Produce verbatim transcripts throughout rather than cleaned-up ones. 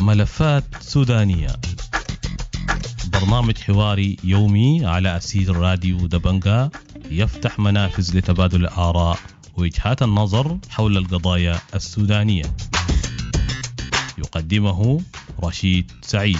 ملفات سودانية، برنامج حواري يومي على أثير راديو دبنجا، يفتح منافذ لتبادل الآراء ووجهات النظر حول القضايا السودانية. يقدمه رشيد سعيد.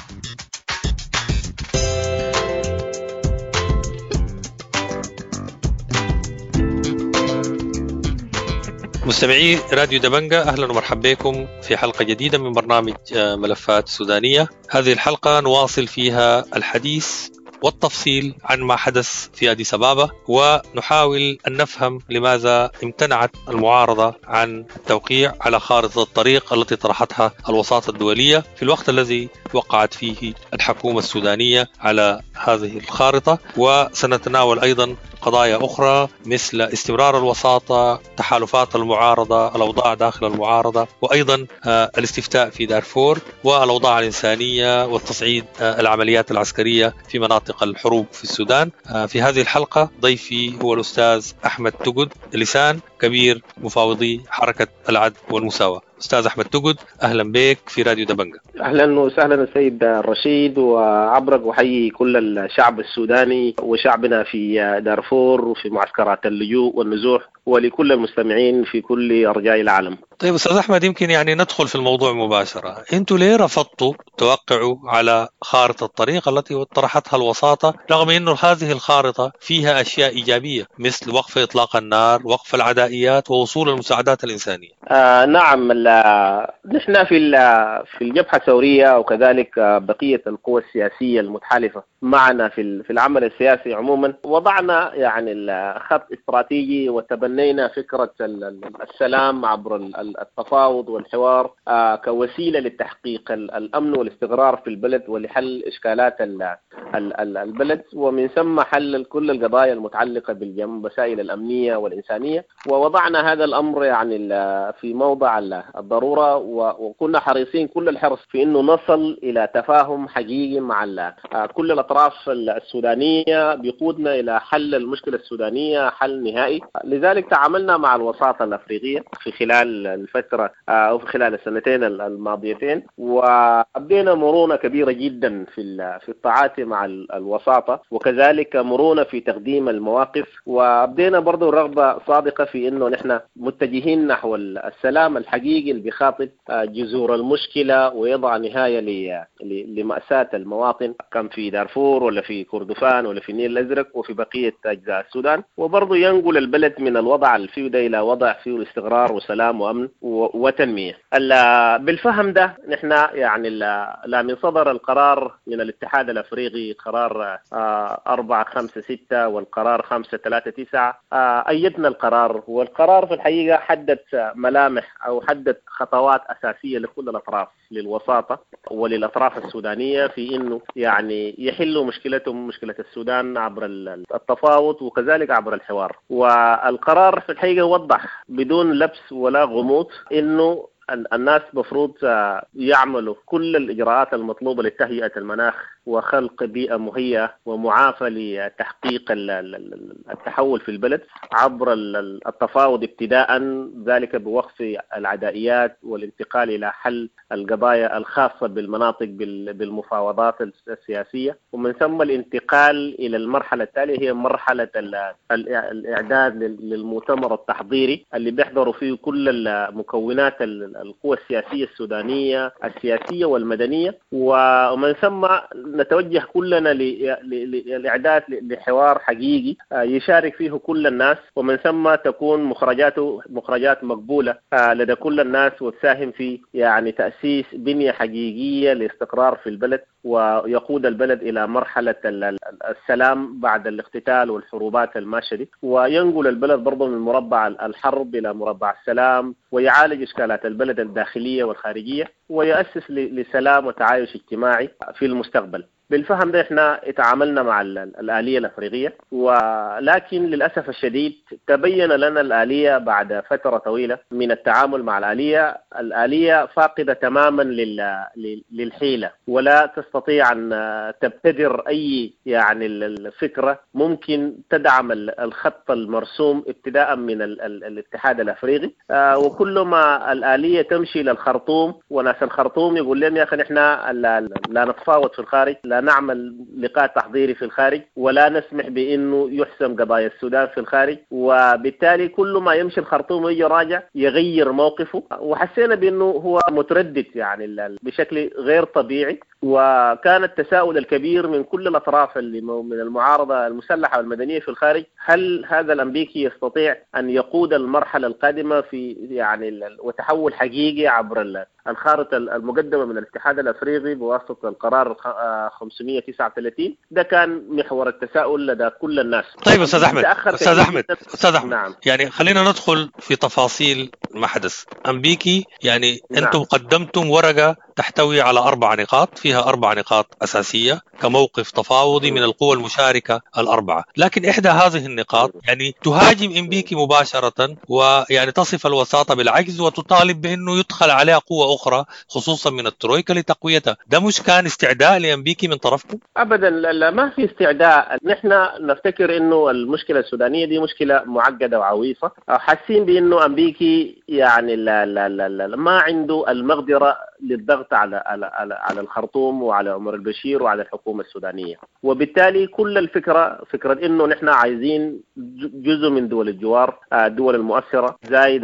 مستمعي راديو دبنجا، أهلا ومرحبا بكم في حلقة جديدة من برنامج ملفات سودانية. هذه الحلقة نواصل فيها الحديث والتفصيل عن ما حدث في أديس أبابا، ونحاول أن نفهم لماذا امتنعت المعارضة عن التوقيع على خارطة الطريق التي طرحتها الوساطة الدولية في الوقت الذي وقعت فيه الحكومة السودانية على هذه الخارطة. وسنتناول أيضا قضايا أخرى مثل استمرار الوساطة، تحالفات المعارضة، الأوضاع داخل المعارضة، وأيضا الاستفتاء في دارفور، والأوضاع الإنسانية، والتصعيد العمليات العسكرية في مناطق الحروب في السودان. في هذه الحلقة ضيفي هو الأستاذ أحمد تقد لسان، كبير مفاوضي حركة العدل والمساواة. أستاذ أحمد تقد، أهلا بك في راديو دبنجا. أهلا وسهلا السيد الرشيد، وعبرك وحيي كل الشعب السوداني وشعبنا في دارفور وفي معسكرات اللجوء والنزوح، ولكل المستمعين في كل أرجاء العالم. طيب أستاذ أحمد، يمكن يعني ندخل في الموضوع مباشرة. أنتوا ليه رفضتوا توقعوا على خارطة الطريق التي طرحتها الوساطة، رغم أنه هذه الخارطة فيها أشياء إيجابية مثل وقف إطلاق النار، وقف العدائيات، ووصول المساعدات الإنسانية؟ آه نعم، نحن في في الجبهة الثورية وكذلك بقية القوى السياسية المتحالفة معنا في في العمل السياسي عموما، وضعنا يعني خط استراتيجي وتبنينا فكرة السلام عبر التفاوض والحوار كوسيلة للتحقيق الأمن والاستقرار في البلد ولحل إشكالات البلد، ومن ثم حل كل القضايا المتعلقة بالمسائل الأمنية والإنسانية. ووضعنا هذا الأمر يعني في موضع الضرورة، وكنا حريصين كل الحرص في أنه نصل إلى تفاهم حقيقي مع كل الأطراف السودانية بيقودنا إلى حل المشكلة السودانية حل نهائي. لذلك تعاملنا مع الوساطة الأفريقية في خلال الفترة أو في خلال السنتين الماضيتين، وأبدينا مرونة كبيرة جدا في في التعاطي مع الوساطة، وكذلك مرونة في تقديم المواقف، وأبدينا برضو رغبة صادقة في أنه نحن متجهين نحو السلام الحقيقي اللي بيخاطب جذور المشكلة ويضع نهاية لمأساة المواطن، كان في دارفور ولا في كردفان ولا في النيل الأزرق وفي بقية أجزاء السودان، وبرضو ينقل البلد من الوضع الفيه إلى وضع فيه استقرار وسلام وأمن وتنمية. بالفهم ده نحن يعني لا من صدر القرار من الاتحاد الأفريقي قرار أربعة خمسة ستة والقرار خمسة ثلاثة تسعة، أيدنا القرار، والقرار في الحقيقة حدد ملامح أو حدد خطوات أساسية لكل الأطراف، للوساطة وللأطراف السودانية، في إنه يعني يحلوا مشكلتهم، مشكلة السودان، عبر التفاوض وكذلك عبر الحوار. والقرار في الحقيقة وضح بدون لبس ولا غموض إنه الناس مفروض يعملوا كل الإجراءات المطلوبة لتهيئة المناخ وخلق بيئة مهيئة ومعافى لتحقيق التحول في البلد عبر التفاوض ابتداء، ذلك بوقف العدائيات والانتقال إلى حل القضايا الخاصة بالمناطق بالمفاوضات السياسية، ومن ثم الانتقال إلى المرحلة التالية، هي مرحلة الإعداد للمؤتمر التحضيري اللي بيحضروا فيه كل المكونات القوى السياسية السودانية السياسية والمدنية، ومن ثم نتوجه كلنا للإعداد لحوار حقيقي يشارك فيه كل الناس، ومن ثم تكون مخرجاته مخرجات مقبولة لدى كل الناس، وتساهم في يعني تأسيس بنية حقيقية لاستقرار في البلد، ويقود البلد إلى مرحلة السلام بعد الاقتتال والحروبات الماشية دي، وينقل البلد برضه من مربع الحرب إلى مربع السلام، ويعالج إشكالات البلد الداخلية والخارجية، ويؤسس لسلام وتعايش اجتماعي في المستقبل. بالفهم ده احنا اتعاملنا مع الآلية الأفريقية، ولكن للأسف الشديد تبين لنا الآلية بعد فترة طويلة من التعامل مع الآلية، الآلية فاقدة تماما للحيلة، ولا تستطيع أن تبتدر أي يعني الفكرة ممكن تدعم الخط المرسوم ابتداء من الاتحاد الأفريقي. وكل ما الآلية تمشي للخرطوم وناس الخرطوم يقول لهم يا أخي نحن لا نتفاوض في الخارج، لا نعمل لقاء تحضيري في الخارج، ولا نسمح بأنه يحسم قضايا السودان في الخارج. وبالتالي كل ما يمشي الخرطوم ويجي راجع يغير موقفه، وحسينا بأنه هو متردد يعني بشكل غير طبيعي. وكان التساؤل الكبير من كل الأطراف اللي من المعارضة المسلحة والمدنية في الخارج، هل هذا الأمريكي يستطيع أن يقود المرحلة القادمة في يعني وتحول حقيقي عبر الخارطة المقدمة من الاتحاد الأفريقي بواسطة القرار خمسمية وتسعة وثلاثين؟ ده كان محور التساؤل لدى كل الناس. طيب أستاذ أحمد، أستاذ أحمد، أستاذ أحمد، نعم. يعني خلينا ندخل في تفاصيل ما حدث. أمبيكي يعني نعم. أنتم قدمتم ورقة تحتوي على أربع نقاط، فيها أربع نقاط أساسية كموقف تفاوضي من القوى المشاركة الأربعة، لكن إحدى هذه النقاط يعني تهاجم أمبيكي مباشرة، ويعني تصف الوساطة بالعجز وتطالب بأنه يدخل عليها قوة أخرى خصوصا من الترويكا لتقويتها. ده مش كان استعداء لأمبيكي من طرفكم؟ أبدا لا، ما في استعداء. نحن نفتكر أنه المشكلة السودانية دي مشكلة معقدة وعويصة، حاسين بأنه أمبيكي يعني لا لا لا لا ما عنده المقدرة للضغط على على على الخرطوم وعلى عمر البشير وعلى الحكومة السودانية، وبالتالي كل الفكرة فكرة إنه نحن عايزين جزء من دول الجوار، الدول المؤثرة، زايد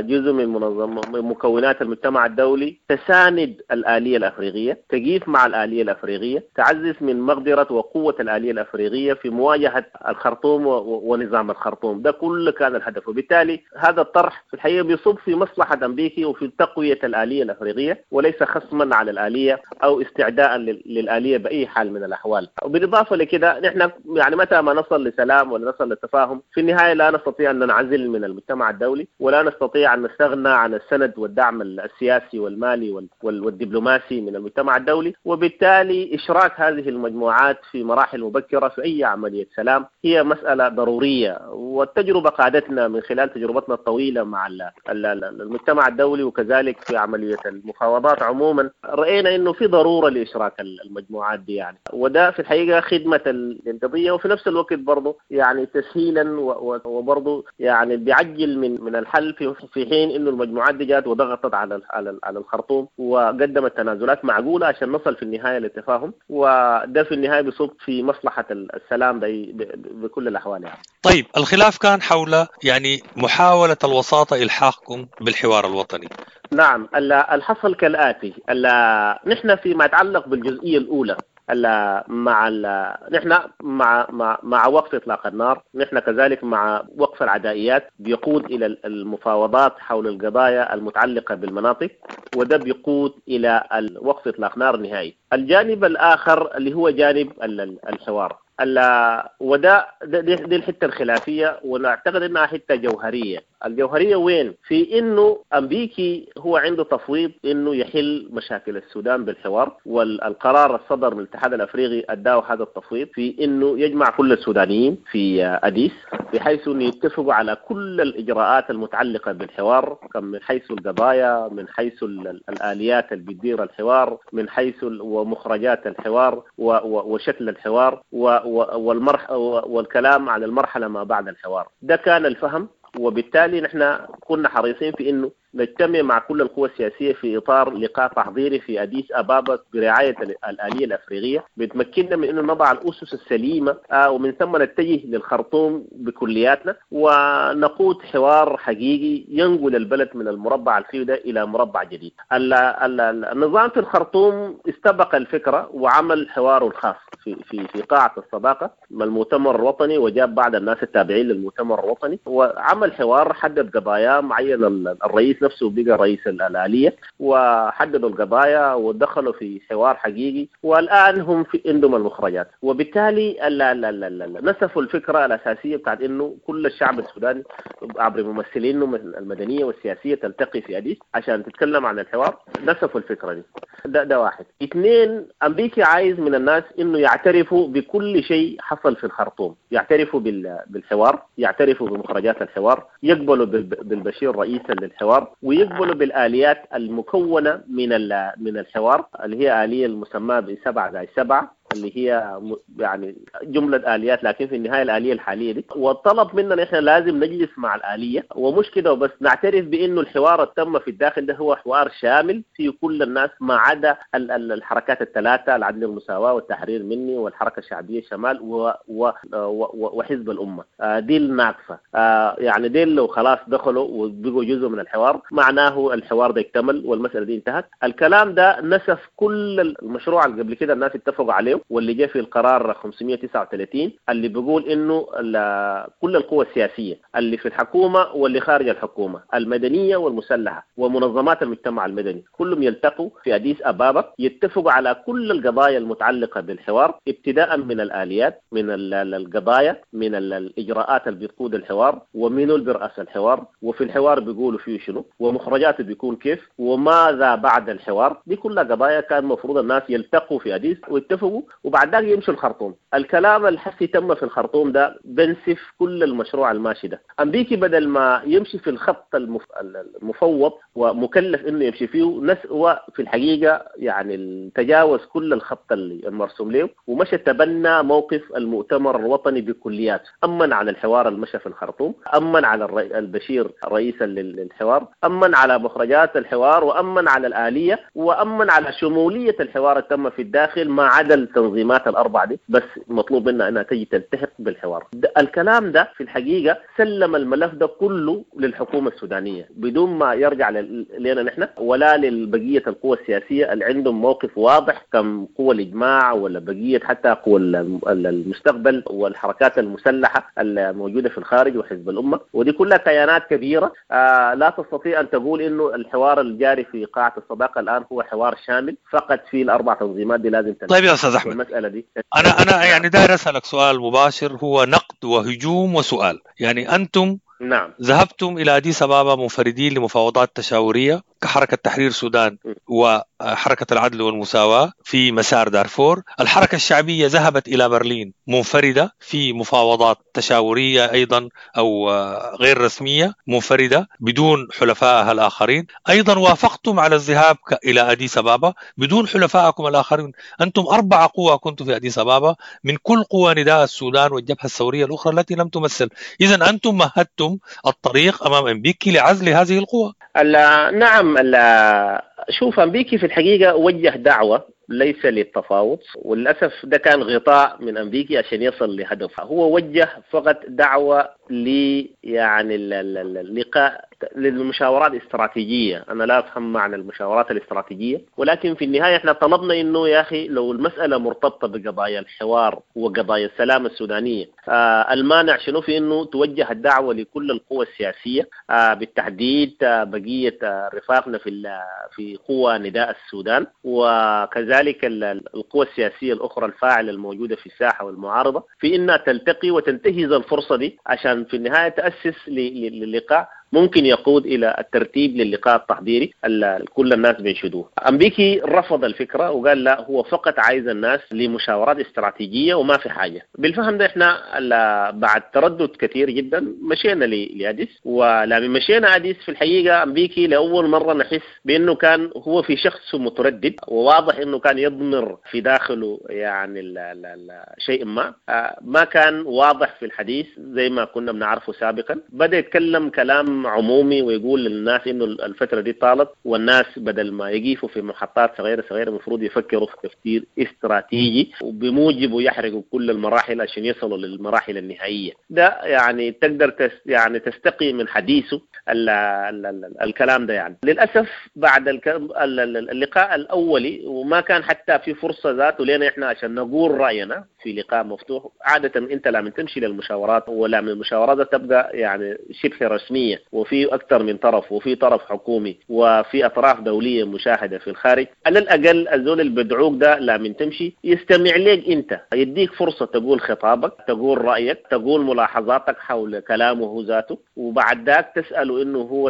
جزء من منظم مكونات المجتمع الدولي تساند الآلية الأفريقية، تقيف مع الآلية الأفريقية، تعزز من مقدرة وقوة الآلية الأفريقية في مواجهة الخرطوم ونظام الخرطوم. ده كل كان الهدف، وبالتالي هذا الطرح في الحقيقة بيصب في مصلحة أمريكي وفي تقوية الآلية الأفريقية، وليس خصما على الآلية أو استعداء للآلية بأي حال من الأحوال. وبالإضافة لكده نحن يعني متى ما نصل لسلام ولا نصل للتفاهم في النهاية لا نستطيع أن ننعزل من المجتمع الدولي، ولا نستطيع أن نستغنى عن السند والدعم السياسي والمالي والدبلوماسي من المجتمع الدولي. وبالتالي إشراك هذه المجموعات في مراحل مبكرة في أي عملية سلام هي مسألة ضرورية، والتجربة قادتنا من خلال تجربتنا الطويلة مع المجتمع الدولي وكذلك في عملية المفاوضات عموما رأينا أنه في ضرورة لإشراك المجموعات دي يعني، وده في الحقيقة خدمة للقضية، وفي نفس الوقت برضه يعني تسهيلا وبرضه يعني بيعجل من من الحل في في حين انه المجموعات دي جات وضغطت على على على الخرطوم وقدمت تنازلات معقولة عشان نصل في النهاية للتفاهم، وده في النهاية بيصب في مصلحة السلام بكل الأحوال يعني. طيب الخلاف كان حول يعني محاولة الوساطة إلحاقكم بالحوار الوطني. نعم، الحصل كالآتي. نحن فيما يتعلق بالجزئية الأولى مع ال... نحن مع مع مع وقف إطلاق النار، نحن كذلك مع وقف العدائيات بيقود إلى المفاوضات حول القضايا المتعلقة بالمناطق، وده بيقود إلى وقف إطلاق نار نهائي. الجانب الآخر اللي هو جانب الحوار، وده دي, دي الحتة الخلافية، ونعتقد أنها حتة جوهرية. الجوهرية وين؟ في إنه أمريكي هو عنده تفويض إنه يحل مشاكل السودان بالحوار، والقرار الصدر من الاتحاد الأفريقي أداه هذا التفويض في إنه يجمع كل السودانيين في أديس بحيث إنه يتفقوا على كل الإجراءات المتعلقة بالحوار، من حيث القضايا، من حيث الآليات اللي بتدير الحوار، من حيث ومخرجات الحوار وشكل الحوار والمرح والكلام على المرحلة ما بعد الحوار. ده كان الفهم، وبالتالي نحن كنا حريصين في إنه نجتمع مع كل القوى السياسية في إطار لقاء تحضيري في أديس أبابا برعاية الآلية الأفريقية، بتمكننا من إنه نضع الأسس السليمة، ومن ثم نتجه للخرطوم بكلياتنا ونقود حوار حقيقي ينقل البلد من المربع الفيه ده إلى مربع جديد. النظام في الخرطوم استبق الفكرة وعمل حواره الخاص في في في قاعة الصداقة مع المؤتمر الوطني، وجاب بعض الناس التابعين للمؤتمر الوطني وعمل حوار، حدد قضايا معين، الرئيس الرئيس نفسه بقى رئيس الآلية، وحددوا القضايا ودخلوا في حوار حقيقي، والآن هم في عندهم المخرجات. وبالتالي لا لا لا لا نسفوا الفكرة الأساسية بتاعت إنه كل الشعب السوداني عبر ممثلينه المدنية والسياسية تلتقي في أديس عشان تتكلم عن الحوار. نسفوا الفكرة دي. ده, ده واحد. اثنين، أمريكا عايز من الناس إنه يعترفوا بكل شيء حصل في الخرطوم، يعترفوا بالحوار، يعترفوا بمخرجات الحوار، يقبلوا بالبشير رئيسا للحوار، ويقبلوا بالآليات المكونة من من الحوار اللي هي آلية المسماة بسبعة زائد سبعة، اللي هي يعني جملة آليات، لكن في النهاية الآلية الحالية دي. والطلب مننا إحنا لازم نجلس مع الآلية، ومش كده وبس، نعترف بإنه الحوار التم في الداخل ده هو حوار شامل في كل الناس ما عدا الحركات الثلاثة، العدل والمساواة والتحرير مني والحركة الشعبية الشمال و و و وحزب الأمة. دي الناقصة. يعني دي لو خلاص دخلوا وبقوا جزء من الحوار معناه الحوار ده اكتمل والمسألة دي انتهت. الكلام ده نسف كل المشروع اللي قبل كده الناس اتفقوا عليه، واللي جاء في القرار خمسمية وتسعة وثلاثين اللي بيقول انه كل القوى السياسية اللي في الحكومة واللي خارج الحكومة، المدنية والمسلحه ومنظمات المجتمع المدني، كلهم يلتقوا في اديس ابابا، يتفقوا على كل القضايا المتعلقة بالحوار، ابتداء من الاليات، من القضايا، من الاجراءات اللي بتقود الحوار، ومن برأس الحوار، وفي الحوار بيقولوا فيه شنو، ومخرجاته بيكون كيف، وماذا بعد الحوار. دي كلها قضايا كان المفروض الناس يلتقوا في اديس ويتفقوا، وبعد ذلك يمشوا الخرطوم. الكلام الحسي تم في الخرطوم ده بنسف كل المشروع الماشي ده. أمريكي بدل ما يمشي في الخط المف... المفوض ومكلف انه يمشي فيه، نس في الحقيقة يعني تجاوز كل الخط اللي المرسوم له، ومشى تبنى موقف المؤتمر الوطني بكلياته، أمن على الحوار المشى في الخرطوم، أمن على الري... البشير رئيسا للحوار، أمن على مخرجات الحوار، وأمن على الآلية، وأمن على شمولية الحوار التم في الداخل ما عدا التنظيمات الأربعة دي، بس مطلوب منا أنها تجي تلتحق بالحوار. الكلام ده في الحقيقة سلم الملف ده كله للحكومة السودانية بدون ما يرجع لنا نحن ولا للبقية القوى السياسية اللي عندهم موقف واضح كم قوى الإجماع ولا بقية حتى قوى المستقبل والحركات المسلحة الموجودة في الخارج وحزب الأمة، ودي كلها كيانات كبيرة آه لا تستطيع أن تقول إنه الحوار الجاري في قاعة الصداقة الآن هو حوار شامل فقط في الأربع تنظيمات دي لازم تنتهي. طيب يا أستاذ أحمد، المسألة دي أنا أنا يعني داير أسألك سؤال مباشر، هو نقد وهجوم وسؤال. يعني أنتم نعم ذهبتم إلى أديس أبابا منفردين لمفاوضات تشاورية كحركة تحرير السودان وحركة العدل والمساواة في مسار دارفور. الحركة الشعبية ذهبت إلى برلين منفردة في مفاوضات تشاورية أيضا أو غير رسمية، منفردة بدون حلفائها الآخرين. أيضا وافقتم على الذهاب إلى أديس أبابا بدون حلفائكم الآخرين. أنتم أربع قوى كنتم في أديس أبابا من كل قوى نداء السودان والجبهة الثورية الأخرى التي لم تمثل. إذن أنتم مهدتم الطريق أمام أمبيكي لعزل هذه القوى. نعم، شوف، أمبيكي في الحقيقة وجه دعوة ليس للتفاوض، وللأسف ده كان غطاء من أمريكي عشان يصل لهدفه. هو وجه فقط دعوة ل يعني اللقاء للمشاورات الاستراتيجية. أنا لا أفهم معنى المشاورات الاستراتيجية، ولكن في النهاية احنا طلبنا إنه يا أخي لو المسألة مرتبطة بقضايا الحوار وقضايا السلام السودانية، آه المانع شنو في إنه توجه الدعوة لكل القوى السياسية، آه بالتحديد آه بقية آه رفاقنا في في قوى نداء السودان، وكذلك القوى السياسية الأخرى الفاعلة الموجودة في الساحة والمعارضة، في إنها تلتقي وتنتهز الفرصة دي عشان في النهاية تأسس للقاء ممكن يقود إلى الترتيب للقاء التحضيري اللي كل الناس بينشدوه. أمبيكي رفض الفكرة وقال لا، هو فقط عايز الناس لمشاورات استراتيجية وما في حاجة. بالفهم ده احنا بعد تردد كثير جدا مشينا لأديس، ولما مشينا أديس في الحقيقة أمبيكي لأول مرة نحس بأنه كان هو في شخص متردد، وواضح أنه كان يضمر في داخله يعني ال ال شيء ما ما كان واضح في الحديث زي ما كنا بنعرفه سابقا. بدأ يتكلم كلام عمومي ويقول للناس انه الفترة دي طالت، والناس بدل ما يقيفوا في محطات صغيرة صغيرة المفروض يفكروا في تفكير استراتيجي وبموجبه يحرقوا كل المراحل عشان يصلوا للمراحل النهائية. ده يعني تقدر تس يعني تستقي من حديثه ال ال ال الكلام ده. يعني للاسف بعد اللقاء الاولي وما كان حتى في فرصة ذاته لنا احنا عشان نقول راينا، في لقاء مفتوح. عادة انت لما تمشي للمشاورات ولا من المشاورات تبقى يعني شبه رسمية، وفي اكثر من طرف، وفي طرف حكومي، وفي اطراف دولية مشاهده في الخارج. على الاقل الزول اللي بدعوك ده لما تمشي يستمع لك انت، يديك فرصة تقول خطابك، تقول رايك، تقول ملاحظاتك حول كلامه ذاته، وبعد ذاك تساله انه هو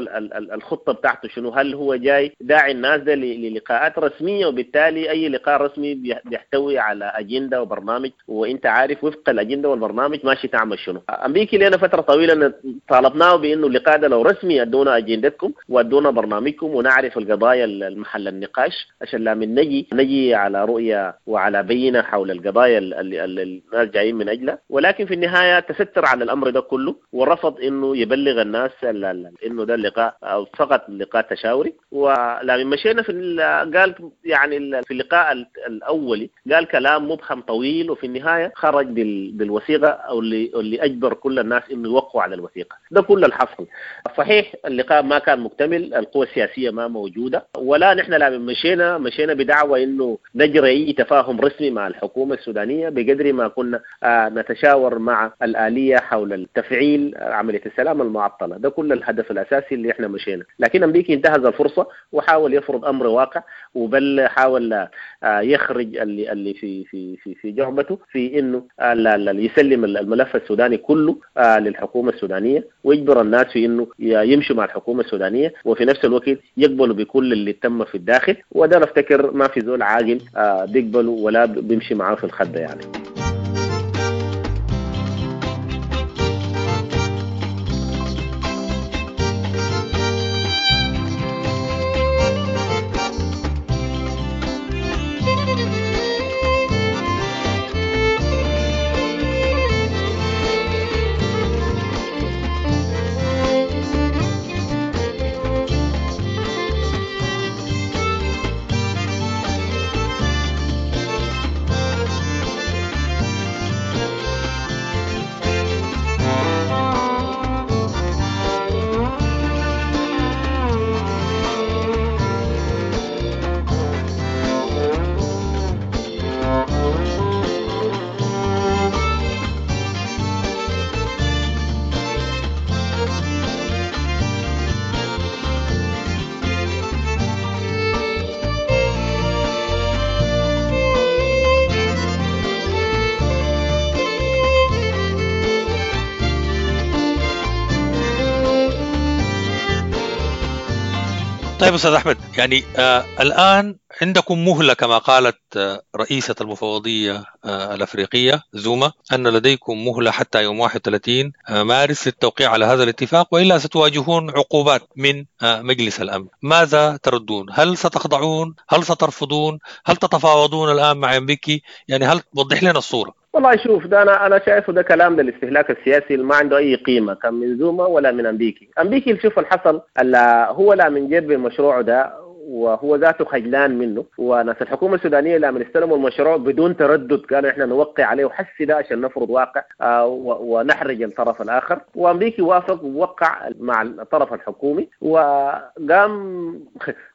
الخطة بتاعته شنو، هل هو جاي داعي الناس ده للقاءات رسمية، وبالتالي اي لقاء رسمي بيحتوي على اجندة وبرنامج، وانت عارف وفق الاجندة والبرنامج ماشي تعمل شنو. امريكي لنا فترة طويلة طالبناه بانه اللقاء ده لو رسمي ادونا اجندتكم وادونا برنامجكم ونعرف القضايا المحل النقاش، عشان لا من نجي نجي على رؤية وعلى بينه حول القضايا اللي الناس جايين من اجلها. ولكن في النهاية تستر على الامر ده كله ورفض انه يبلغ الناس انه ده اللقاء او فقط لقاء تشاوري. ولما مشينا في قال يعني في اللقاء الاولي قال كلام مبهم طويل، وفي النهاية خرج بالوثيقه او اللي اللي اجبر كل الناس انه يوقعوا على الوثيقة. ده كل اللي حصل. صحيح اللقاء ما كان مكتمل، القوى السياسية ما موجودة، ولا نحن لما مشينا مشينا بدعوة انه نجري اي تفاهم رسمي مع الحكومة السودانية بقدر ما كنا نتشاور مع الآلية حول التفعيل عملية السلام المعطلة. ده كل الهدف الاساسي اللي احنا مشينا. لكن امريكي انتهز الفرصة وحاول يفرض امر واقع، وبل حاول يخرج اللي اللي في في في في جعبته في انه يسلم الملف السوداني كله للحكومة السودانية، ويجبر الناس في انه يمشوا مع الحكومة السودانية، وفي نفس الوقت يقبلوا بكل اللي تم في الداخل. وده نفتكر ما في زول عاقل بيقبله ولا بيمشي معاه في الخدة يعني. طيب أستاذ أحمد، يعني آه الآن عندكم مهلة كما قالت آه رئيسة المفوضية آه الأفريقية زوما أن لديكم مهلة حتى يوم واحد وثلاثين آه مارس للتوقيع على هذا الاتفاق، وإلا ستواجهون عقوبات من آه مجلس الأمن. ماذا تردون؟ هل ستخضعون؟ هل سترفضون؟ هل تتفاوضون الآن مع أمبيكي؟ يعني هل توضح لنا الصورة؟ والله شوف، ده انا انا شايفه ده كلام للاستهلاك السياسي اللي ما عنده اي قيمة، كان من زوما ولا من امبيكي. امبيكي شوف اللي حصل، هو لا من جيب المشروع ده وهو ذاته خجلان منه، وناس الحكومة السودانية لما استلموا المشروع بدون تردد قالوا احنا نوقع عليه وحس ده عشان نفرض واقع ونحرج الطرف الاخر. وامريكي وافق ووقع مع الطرف الحكومي، وقام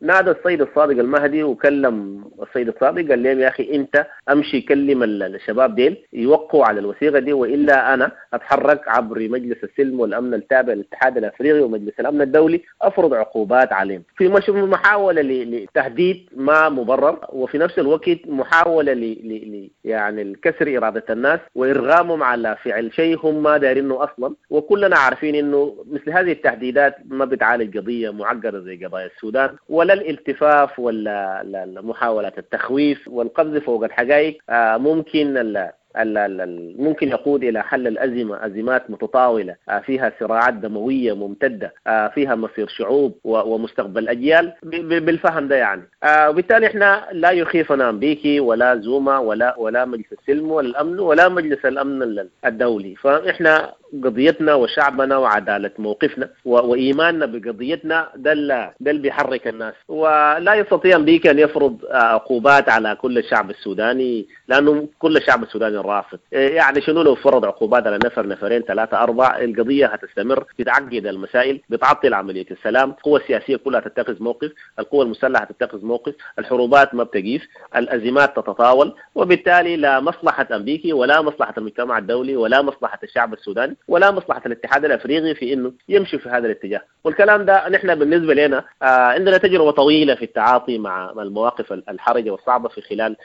نادى السيد الصادق المهدي وكلم السيد الصادق قال لهم يا اخي انت امشي كلم الشباب ديل يوقعوا على الوثيقة دي، والا انا اتحرك عبر مجلس السلم والامن التابع للاتحاد الافريقي ومجلس الامن الدولي افرض عقوبات عليهم. في محاولة لتهديد ما مبرر، وفي نفس الوقت محاولة ل ل يعني الكسر إرادة الناس وإرغامهم على فعل شيء هم ما دارينه أصلا. وكلنا عارفين إنه مثل هذه التهديدات ما بتعالج قضية معقدة زي قضايا السودان، ولا الالتفاف ولا محاولات التخويف والقفز فوق الحقائق ممكن ال ممكن يقود إلى حل الأزمة، أزمات متطاولة فيها صراعات دموية ممتدة فيها مصير شعوب ومستقبل أجيال بالفهم ده يعني. وبالتالي إحنا لا يخيفنا أمريكي ولا زوما ولا ولا مجلس السلم ولا الأمن ولا مجلس الأمن الدولي، فإحنا قضيتنا وشعبنا وعدالة موقفنا وإيماننا بقضيتنا ده ده اللي بيحرك الناس. ولا يستطيع أمريكا أن يفرض عقوبات على كل الشعب السوداني، لأنه كل الشعب السوداني رافض. يعني شنو لو فرض عقوبات على نفر نفرين ثلاثة أربعة، القضية هتستمر، بتعقد المسائل، بتعطل عملية السلام، القوى السياسية كلها تتخذ موقف، القوى المسلحة تتخذ موقف، الحروبات ما بتقيف، الأزمات تتطاول، وبالتالي لا مصلحة أمريكي ولا مصلحة المجتمع الدولي ولا مصلحة الشعب السوداني ولا مصلحة الاتحاد الأفريقي في إنه يمشي في هذا الاتجاه. والكلام ده نحن بالنسبة لنا آه عندنا تجربة طويلة في التعاطي مع المواقف الحرجة والصعبة في خلال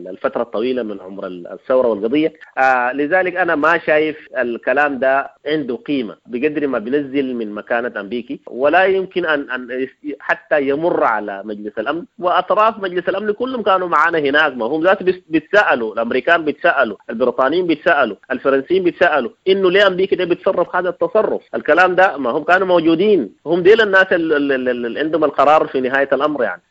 الفترة الطويلة من عمر الثورة والقضية. آه لذلك أنا ما شايف الكلام ده عنده قيمة بقدر ما بنزل من مكانة أمريكي، ولا يمكن أن أن حتى يمر على مجلس الأمن. وأطراف مجلس الأمن كلهم كانوا معانا هناك، ما هم ذات بيتسألوا، الأمريكان بيتسألوا، البريطانيين بيتسألوا، الفرنسيين بيتسألوا إنه ليه أمريكا ده بيتصرف هذا التصرف. الكلام ده ما هم كانوا موجودين، هم ديل الناس اللي عندهم القرار في نهاية الأمر، يعني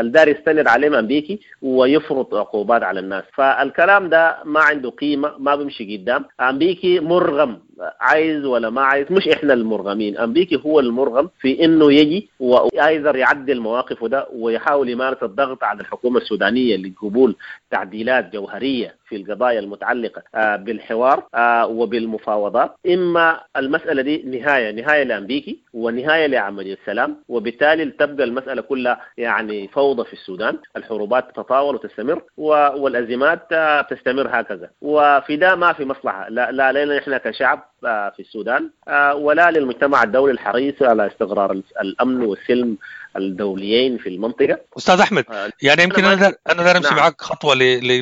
الدار يستند عليهم أمريكي ويفرض عقوبات على الناس. فالكلام ده ما عنده قيمة، ما بيمشي قدام. أمريكي مرغم، عايز ولا ما عايز، مش إحنا المرغمين، أمريكي هو المرغم في إنه يجي وأيضا يعدل مواقفه ده ويحاول يمارس الضغط على الحكومة السودانية لقبول تعديلات جوهرية في القضايا المتعلقة بالحوار وبالمفاوضات. إما المسألة دي نهاية نهاية لأمريكي ونهاية لعملية السلام، وبالتالي تبقى المسألة كلها يعني فوضى في السودان، الحروبات تتطاول وتستمر والأزمات تستمر هكذا. وفي ده ما في مصلحة لا لا لنا إحنا كشعب في السودان ولا للمجتمع الدولي الحريص على استقرار الأمن والسلم الدوليين في المنطقة. أستاذ أحمد، يعني يمكن أنا أنا دار أمشي معك خطوة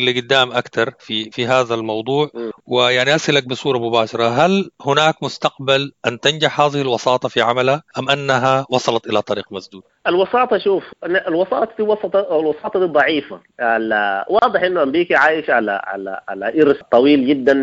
لقدام أكثر في في هذا الموضوع، ويعني أسألك بصورة مباشرة، هل هناك مستقبل أن تنجح هذه الوساطة في عملها أم أنها وصلت إلى طريق مسدود؟ الوساطة، شوف الوساطة دي وسط الوساطة دي ضعيفة. واضح إنه أمريكا عايش على على على إرث طويل جدا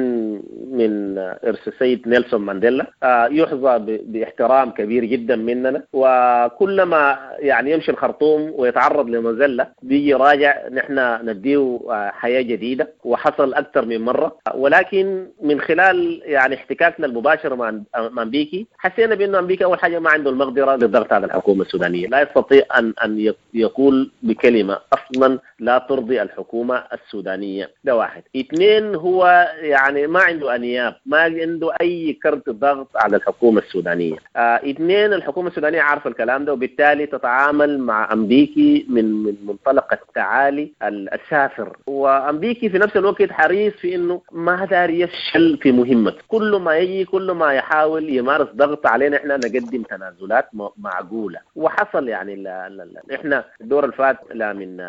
من إرث السيد نيلسون مانديلا، يحظى باحترام كبير جدا مننا، وكلما يعني يمشي الخرطوم ويتعرض لمذلة بيجي راجع نحن نديه حياة جديدة، وحصل أكثر من مرة. ولكن من خلال يعني احتكاكنا المباشر مع أمريكي حسينا بأنه أمريكا أول حاجة ما عنده المقدرة للضغط على الحكومة السودانية، لا يستطيع أن أن يقول بكلمة أصلا لا ترضي الحكومة السودانية، ده واحد. اثنين، هو يعني ما عنده أنياب، ما عنده أي كرت ضغط على الحكومة السودانية. آه اثنين، الحكومة السودانية عارفة الكلام ده، وبالتالي تتعامل مع أمريكي من من منطلق التعالي السافر. وأمريكي في نفس الوقت حريص في إنه ما دار يفشل في مهمته، كل ما يجي كل ما يحاول يمارس ضغط علينا إحنا نقدم تنازلات معقولة. وحصل يعني لا لا لا إحنا الدور الفات لا من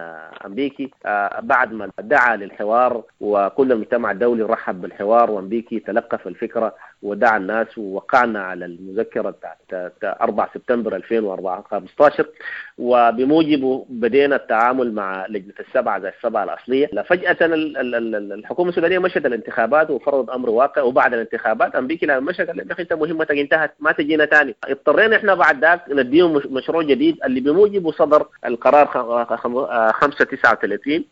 أمريكي بعد ما دعا للحوار وكل المجتمع الدولي رحب بالحوار، وأمريكي تلقف الفكرة ودعا الناس، ووقعنا على المذكرة بتاعت أربعة سبتمبر ألفين وخمسة عشر، وبموجبه بدينا التعامل مع لجنة السبعة زي السبعة الأصلية. فجأة الحكومة السودانية مشت الانتخابات وفرضت أمر واقع، وبعد الانتخابات أمريكا لما مشت قال لك أنت مهمتك انتهت، ما تجينا تاني. اضطرينا إحنا بعد ذاك نديهم مشروع جديد اللي بموجبه صدر القرار خمسة تسعة وثلاثين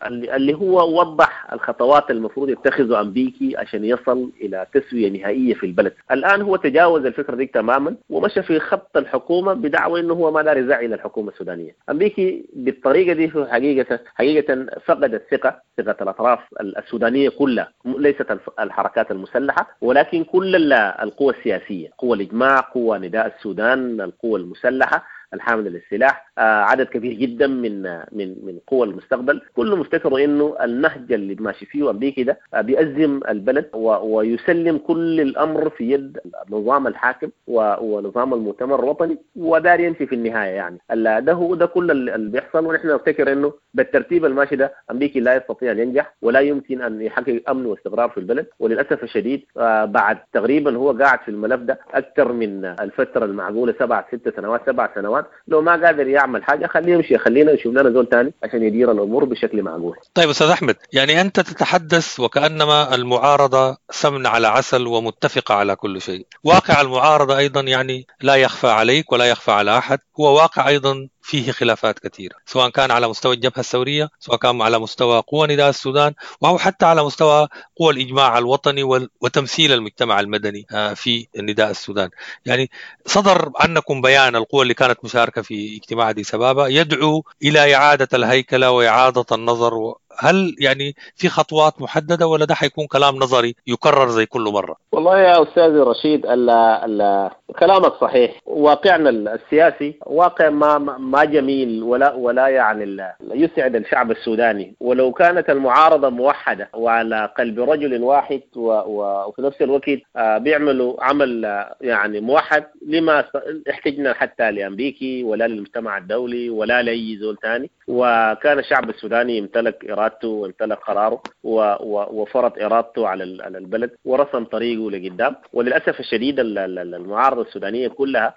اللي هو وضح الخطوات المفروض يتخذه أمريكي عشان يصل إلى تسوية نهائية في البلد. الآن هو تجاوز الفكرة دي تماما ومشى في خط الحكومة بدعوى إنه هو ما دار يزعل الحكومة السودانية. أمريكي بالطريقة دي هو حقيقة حقيقة فقد الثقة، ثقة الأطراف السودانية كلها، ليست الحركات المسلحة ولكن كل القوى السياسية، قوى الإجماع، قوى نداء السودان، القوى المسلحة الحامل للسلاح، عدد كبير جدا من من من قوى المستقبل، كلهم افتكروا انه النهج اللي ماشي فيه امريكي ده بيأزم البلد ويسلم كل الامر في يد النظام الحاكم ونظام المؤتمر الوطني، ودار يمشي في النهاية. يعني ده هو ده كل اللي بيحصل، ونحن نفتكر انه بالترتيب الماشي ده امريكي لا يستطيع ان ينجح ولا يمكن ان يحقق امن واستقرار في البلد. وللاسف الشديد بعد تقريبا هو قاعد في الملف ده اكثر من الفترة المعقولة، سبع ست سنوات سبع سنوات، لو ما قادر يعمل حاجة خليه يمشي، خلينا نشوف لنا زول ثاني عشان يدير الامور بشكل معقول. طيب استاذ احمد، يعني انت تتحدث وكانما المعارضة سمن على عسل ومتفقه على كل شيء. واقع المعارضة ايضا يعني لا يخفى عليك ولا يخفى على احد، هو واقع ايضا فيه خلافات كثيرة، سواء كان على مستوى الجبهة الثورية، سواء كان على مستوى قوى نداء السودان، أو حتى على مستوى قوى الإجماع الوطني وتمثيل المجتمع المدني في نداء السودان. يعني صدر عنكم بيان القوى اللي كانت مشاركة في اجتماع أديس أبابا يدعو إلى إعادة الهيكلة وإعادة النظر و... هل يعني في خطوات محددة ولا ده حيكون كلام نظري يكرر زي كل مرة؟ والله يا أستاذ رشيد ال ال كلامك صحيح. واقعنا السياسي واقع ما ما جميل ولا ولا يعني يسعد الشعب السوداني، ولو كانت المعارضة موحدة وعلى قلب رجل واحد وفي نفس الوقت بيعملوا عمل يعني موحد لما احتجنا حتى لأمريكي ولا للمجتمع الدولي ولا لأي زول ثاني. وكان الشعب السوداني يمتلك إرادته وامتلك قراره وفرض إرادته على البلد ورسم طريقه لقدام. وللأسف الشديد المعارضة السودانية كلها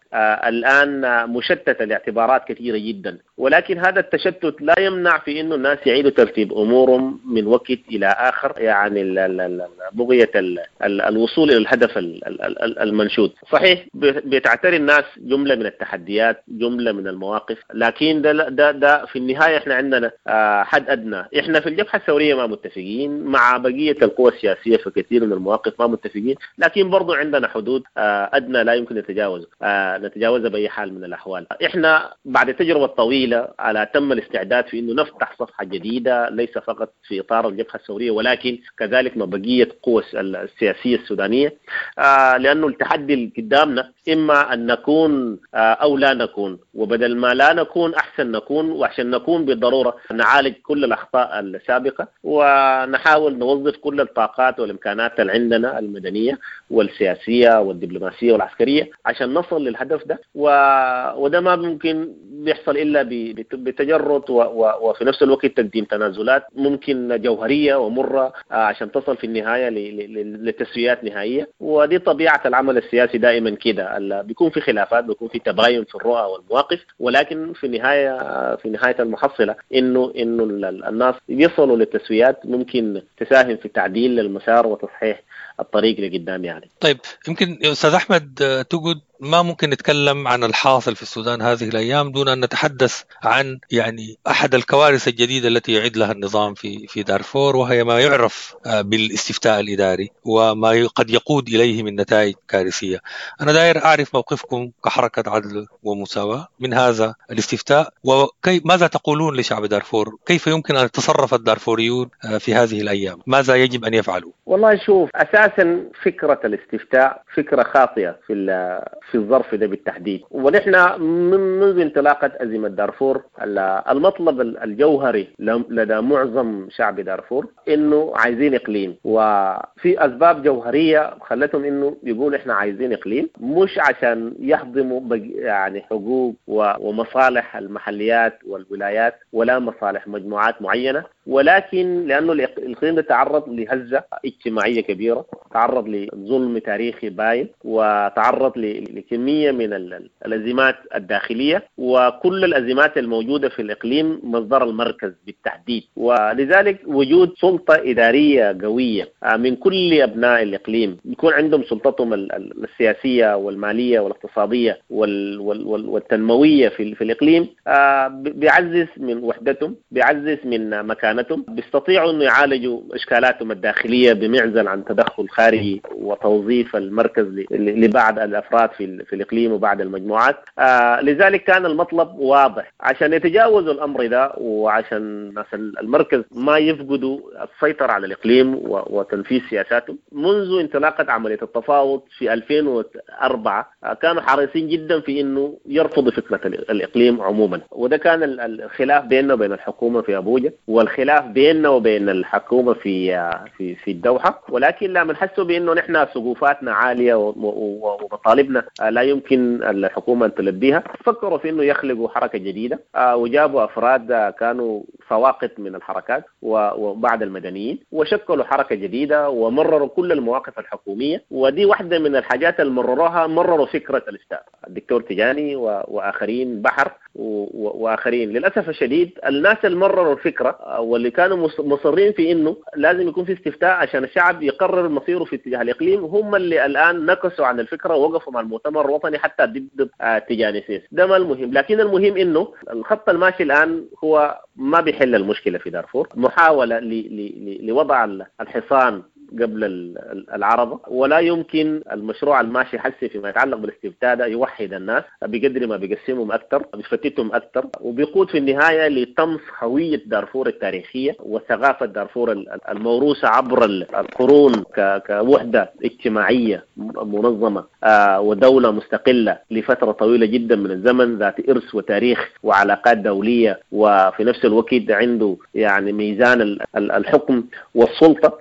الآن مشتتة لاعتبارات كثيرة جدا، ولكن هذا التشتت لا يمنع في أنه الناس يعيدوا ترتيب أمورهم من وقت إلى آخر، يعني بغية الوصول إلى الهدف المنشود. صحيح بتعتري الناس جملة من التحديات، جملة من المواقف، لكن ده, ده, ده في النهاية احنا عندنا حد أدنى. احنا في الجبهة الثورية ما متفقين مع بقية القوى السياسية في كثير من المواقف، ما متفقين، لكن برضو عندنا حدود أدنى لا يمكن نتجاوز نتجاوزها بأي حال من الأحوال. احنا بعد التجربة الطويلة على تم الاستعداد في أنه نفتح صفحة جديدة، ليس فقط في إطار الجبهة الثورية ولكن كذلك مع بقية قوى السياسية السودانية، لأنه التحدي اللي قدامنا إما أن نكون أو لا نكون، وبدل ما لا نكون أحسن نكون، وعشان نكون بالضرورة نعالج كل الأخطاء السابقة ونحاول نوظف كل الطاقات والإمكانات اللي عندنا المدنية والسياسية والدبلوماسية والعسكرية عشان نصل للهدف ده. و... وده ما ممكن بيحصل إلا بتجرد و... و... وفي نفس الوقت تقديم تنازلات ممكن جوهرية ومرة عشان تصل في النهاية ل... ل... لتسويات نهائية. ودي طبيعة العمل السياسي دائما كده، بيكون في خلافات، بيكون في تباين في الرؤى والمواقف، ولكن في النهاية في نهاية المحصلة إنه إنه الناس يصلوا للتسويات ممكن تساهم في تعديل المسار وتصحيح الطريق لقدام يعني. طيب يمكن يا أستاذ أحمد تقول ما ممكن نتكلم عن الحاصل في السودان هذه الأيام دون أن نتحدث عن يعني أحد الكوارث الجديدة التي يعد لها النظام في في دارفور، وهي ما يعرف بالاستفتاء الإداري وما قد يقود إليه من نتائج كارثية. أنا داير أعرف موقفكم كحركة عدل ومساواة من هذا الاستفتاء، وكيف ماذا تقولون لشعب دارفور؟ كيف يمكن أن يتصرف الدارفوريون في هذه الأيام؟ ماذا يجب أن يفعلوا؟ والله شوف، أساسا فكرة الاستفتاء فكرة خاطئة في في الظرف ده بالتحديد. ونحن منذ انطلاقة أزمة دارفور المطلب الجوهري لدى معظم شعب دارفور إنه عايزين إقليم، وفي أسباب جوهرية خلتهم إنه يقول إحنا عايزين إقليم، مش عشان يهضموا يعني حقوق ومصالح المحليات والولايات ولا مصالح مجموعات معينة، ولكن لأنه الإقليم ده تعرض لهزة اجتماعية كبيرة، تعرض لظلم تاريخي باين، وتعرض لكمية من الأزمات الداخلية، وكل الأزمات الموجودة في الإقليم مصدر المركز بالتحديد. ولذلك وجود سلطة إدارية قوية من كل أبناء الإقليم يكون عندهم سلطتهم السياسية والمالية والاقتصادية والتنموية في الإقليم بيعزز من وحدتهم، بيعزز من مكانتهم، بيستطيعوا أن يعالجوا إشكالاتهم الداخلية بمعزل عن تدخل خارجي وتوظيف المركز لبعض الأفراد في في الإقليم وبعض المجموعات. آه لذلك كان المطلب واضح عشان يتجاوزوا الأمر ده، وعشان ناس المركز ما يفقدوا السيطرة على الإقليم وتنفيذ سياساتهم. منذ انطلاقة عملية التفاوض في ألفين وأربعة كانوا حريصين جدا في إنه يرفضوا فكرة الإقليم عموما، وده كان الخلاف بيننا وبين الحكومة في أبوجا، والخلاف بيننا وبين الحكومة في في في الدوحة. ولكن لما حسوا بأنه نحن سقوفاتنا عالية ومطالبنا لا يمكن الحكومة أن تلبيها، فكروا في أنه يخلقوا حركة جديدة، وجابوا أفراد كانوا سواقط من الحركات وبعض المدنيين، وشكلوا حركة جديدة ومرروا كل المواقف الحكومية. ودي واحدة من الحاجات اللي مرروها، مرروا فكرة الاستفتاء، الدكتور تجاني وآخرين بحر واخرين. للاسف الشديد الناس اللي مرروا الفكرة واللي كانوا مصرين في انه لازم يكون في استفتاء عشان الشعب يقرر مصيره في اتجاه الاقليم، هم اللي الان نكسوا عن الفكرة ووقفوا مع المؤتمر الوطني حتى ضد تيجاني سيس. ده ما المهم، لكن المهم انه الخط الماشي الان هو ما بيحل المشكلة في دارفور، محاولة لوضع الحصان قبل العربة، ولا يمكن المشروع الماشي حسي فيما يتعلق بالاستفتاء ده يوحد الناس بقدر ما بيقسمهم أكثر، بيفتتهم أكثر، وبيقود في النهاية لطمس هوية دارفور التاريخية وثقافة دارفور الموروثة عبر القرون كوحدة اجتماعية منظمة ودولة مستقلة لفترة طويلة جدا من الزمن، ذات إرث وتاريخ وعلاقات دولية، وفي نفس الوقت عنده يعني ميزان الحكم والسلطة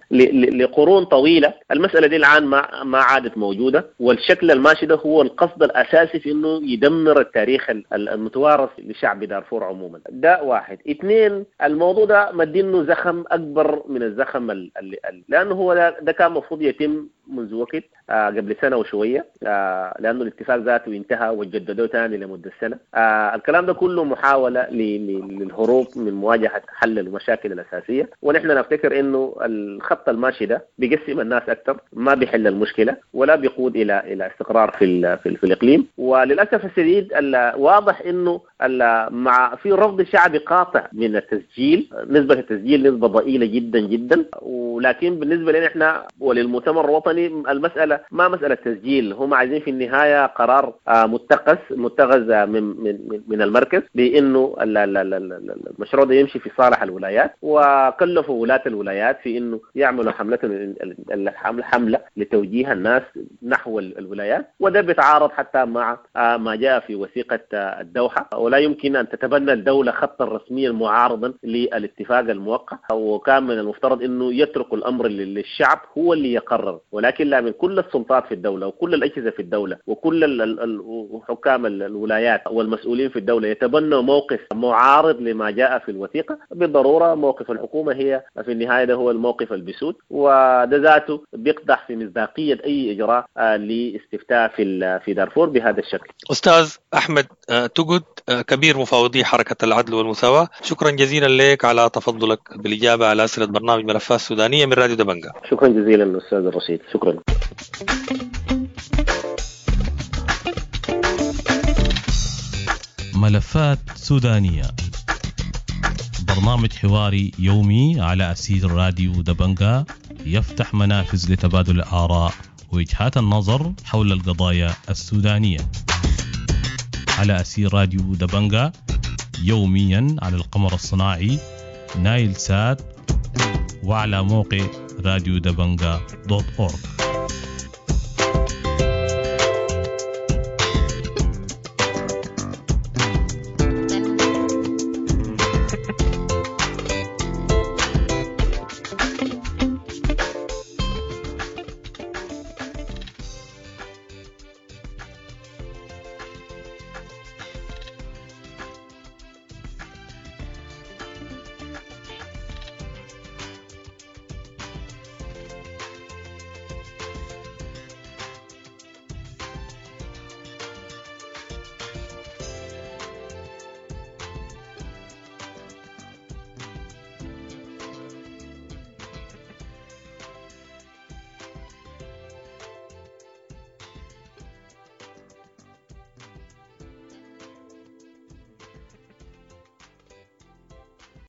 قرون طويلة. المسألة دي الآن ما ما عادت موجودة، والشكل الماشي ده هو القصد الأساسي في إنه يدمر التاريخ المتوارث لشعب دارفور عموما. ده واحد. اثنين، الموضوع ده مدينة زخم أكبر من الزخم اللي لأنه هو ده, ده كان المفروض يتم منذ وقت آه قبل سنة وشوية، آه لأنه الاتفاق ذاته انتهى وجددوه ثاني لمدة سنة. آه الكلام ده كله محاولة للهروب من مواجهة حل المشاكل الأساسية، ونحن نفتكر إنه الخط الماشي ده بيقسم الناس أكثر، ما بيحل المشكلة ولا بيقود إلى إلى استقرار في في, في الإقليم. وللأسف الشديد واضح إنه مع في رفض شعبي قاطع من التسجيل، نسبة التسجيل نسبة ضئيلة جدا جدا، ولكن بالنسبة لنا إحنا وللمؤتمر الوطني المسألة ما مسألة تسجيل، هم عايزين في النهاية قرار متقس متخذ من من من المركز بأنه المشروع ده يمشي في صالح الولايات، وكلفوا ولاة الولايات في إنه يعملوا حملة الحملة لتوجيه الناس نحو الولايات، وده بيتعارض حتى مع ما جاء في وثيقة الدوحة، ولا يمكن أن تتبنى الدولة خطا رسميا معارضا للاتفاق الموقع، وكان من المفترض إنه يترك الأمر للشعب هو اللي يقرر، ولكن لا من كل السلطات في الدولة وكل الأجهزة في الدولة وكل حكام الولايات والمسؤولين في الدولة يتبنوا موقف معارض لما جاء في الوثيقة. بالضرورة موقف الحكومة هي في النهاية ده هو الموقف البسود، وده ذاته بيقدح في مصداقية أي إجراء لاستفتاء في في دارفور بهذا الشكل. أستاذ أحمد تقد، كبير مفاوضي حركة العدل والمساواة، شكرا جزيلا لك على تفضلك بالإجابة على أسئلة برنامج ملفات سودانية من راديو دبنجا. شكرا جزيلا أستاذ الرشيد، شكرا. ملفات سودانية، برنامج حواري يومي على أثير راديو دبنجا، يفتح منافذ لتبادل الآراء ووجهات النظر حول القضايا السودانية على أثير راديو دبنجا، يوميا على القمر الصناعي نايل سات وعلى موقع راديو دبنجا دوت أورج.